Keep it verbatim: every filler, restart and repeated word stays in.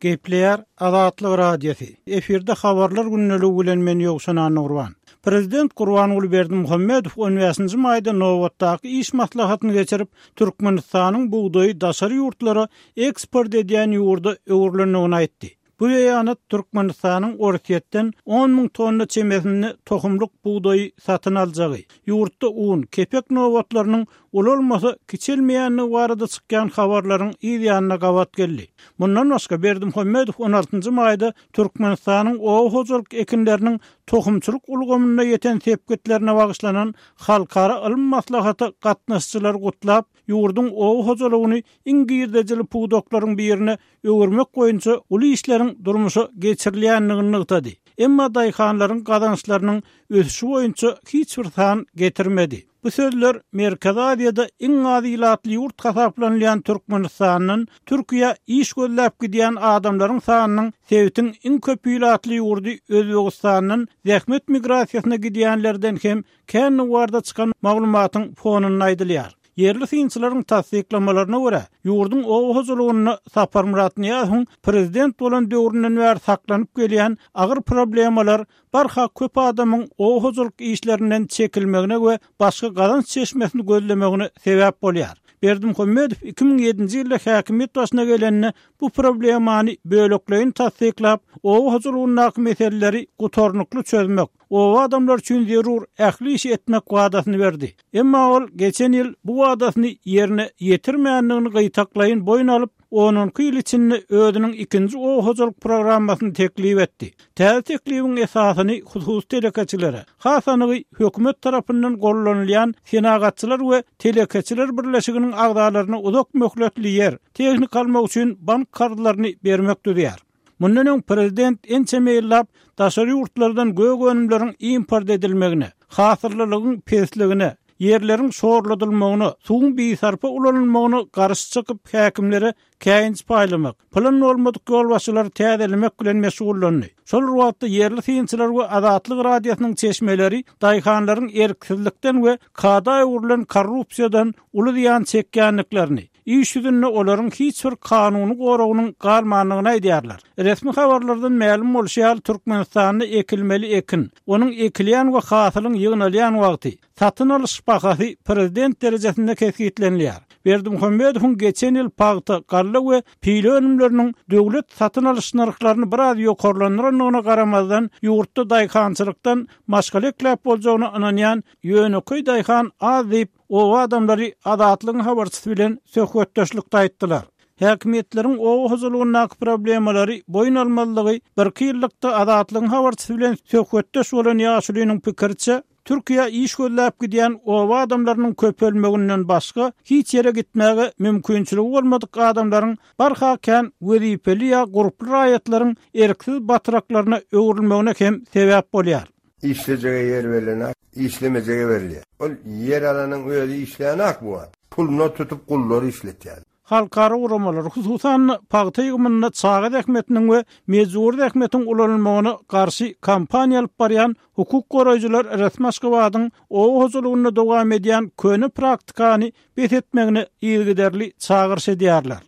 Gepleýär Azatlyk Radiosy. Efirde habarlar gündeligi bilen men Ýowşan Annagurban. Prezident Gurbanguly Berdimuhamedow on bäşinji maýda nobatdaky iş maslahatyny geçirip, Türkmenistanyň bugdaýy daşary ýurtlara eksport edýän ýurda öwrülendigini aýtdy. Bu beýanat Türkmenistanyň Orsýetden on müň tonna çemesinde tohumlyk bugdaýy satyn aljagy, ýurtda un, kepek nobatlarynyň ulalmasa kiçelmeýändigi barada çykýan habarlaryň yz ýanyna gabat geldi. Mundan başga Berdimuhamedow on altynjy maýda Türkmenistanyň oba hojalyk ekinleriniň tohumçylyk ulgamynda ýeten sepgitlerine bagyşlanan halkara ylym maslahata gatnaşyjylary gutlap, ýurduň oba hojalygyny iň girdejili pudaklaryň birine öwürmek boýunça uly işleriň durmuşa geçirilýändigini nygtady. Emma daýhanlaryň gazançlarynyň ösüşi boýunça hiç bir san getirmedi. Bu sözler Merkezi Aziýada iň az ilatly ýurt hasaplanylýan Türkmenistandan Türkiýä iş gözläp gidýän adamlaryň sanynyň sebitiň iň köp ilatly ýurdy Özbegistandan zähmet migrasiýasyna gidýänlerden hem kän nuwarda çykan maglumatyň fonunda aýdylýar. Ýerli synçylaryň tassyklamalaryna görä, ýurduň oba hojalygynda Saparmyrat Nyýazowyň prezident bolan döwründen bäri saklanyp gelýän agyr problemalar barha köp adamyň oba hojalyk işlerinden çekilmegine we başga gazanç çeşmesini gözlemegine sebäp bolýar. Berdimuhamedow iki müň ýedinji ýylda häkimiýet başyna gelende bu problemany bölekleýin tassyklap, oba hojalygyndaky meseleleri gutarnykly çözmek, oba adamlar üçin zerur ähli işi etmek wadasyny berdi. Emma ol geçen ýyl bu wadasyny ýerine ýetirmändigini gytaklaýyn boýun alyp, on iki ýyl içinde özüniň ikinji oba hojalyk programmasyny teklip etdi. Täze teklibiň esasyny hususy telekeçilere, has anygy hökümet tarapyndan gollanylýan senagatçylar we telekeçiler birleşiginiň agzalaryna uzak möhletli ýer, tehnika almak üçin bank karzlaryny bermek düzýär. Mundan öň prezident ençeme ýyllap daşary ýurtlardan gök önümleriň import edilmegine, hasyllylygyň pesligine, ýerleriň şorladylmagyna, suwuň bisarpa ulanylmagyna garşy çykyp häkimlere käýinç paýlamak, plan bolmadyk ýolbaşçylary täzelemek bilen meşgullandy. Şol bir wagtda ýerli synçylar we Azatlyk Radiosynyň çeşmeleri daýhanlaryň erksizlikden we kada öwrülen korrupsiýadan uly zyýan çekýändiklerini, iş ýüzünde olaryň hiç bir kanuny goragynyň galmandygyny aýdýarlar. Resmi habarlardan mälim bolşy ýaly Türkmenistanda ekilmeli ekin, onuň ekilýän we hasylyň ýygnalýan wagty, satyn alyş bahasy prezident derejesinde kesgitlenilýär. Berdimuhamedowyň geçen ýyl pagta, galla we pile önümleriniň döwlet satyn alyş nyrhlaryny biraz ýokarlandyrandygyna garamazdan, ýurtda daýhançylykdan maşgala ekläp boljagyna ynanýan ýönekeý daýhan az diýip, oba adamlary Azatlygyň habarçysy bilen söhbetdeşlikde aýtdylar. Häkimiýetleriň oba hojalygyndaky problemalary boýun almalygy bir iki ýyllykda Azatlygyň habarçysy bilen söhbetdeş bolan ýaşulynyň pikiriçe, Türkiýä iş gözläp gidýän oba adamlarynyň köpelmeginden başga hiç ýere gitmäge mümkinçiligi bolmadyk adamlaryň barha kän wezipeli ýa gurply raýatlaryň erksiz batyraklaryna öwrülmegine hem sebäp bolýar. Işlejege ýer berlen, işlemejege berilýär. Ol ýer alanyň özi işleýän ak bu wagt. Puluna tutup gullary işletýär. Halkara guramalar, hususan pagta ýygymynda çaga zähmetiniň we mejbur zähmetiň ulanylmagyna garşy kampaniýa alyp barýan hukuk goraýjylar resmi Aşgabadyň oba hojalygynda dowam edýän köne praktikany bes etmegine yzygiderli çagyryş edýärler.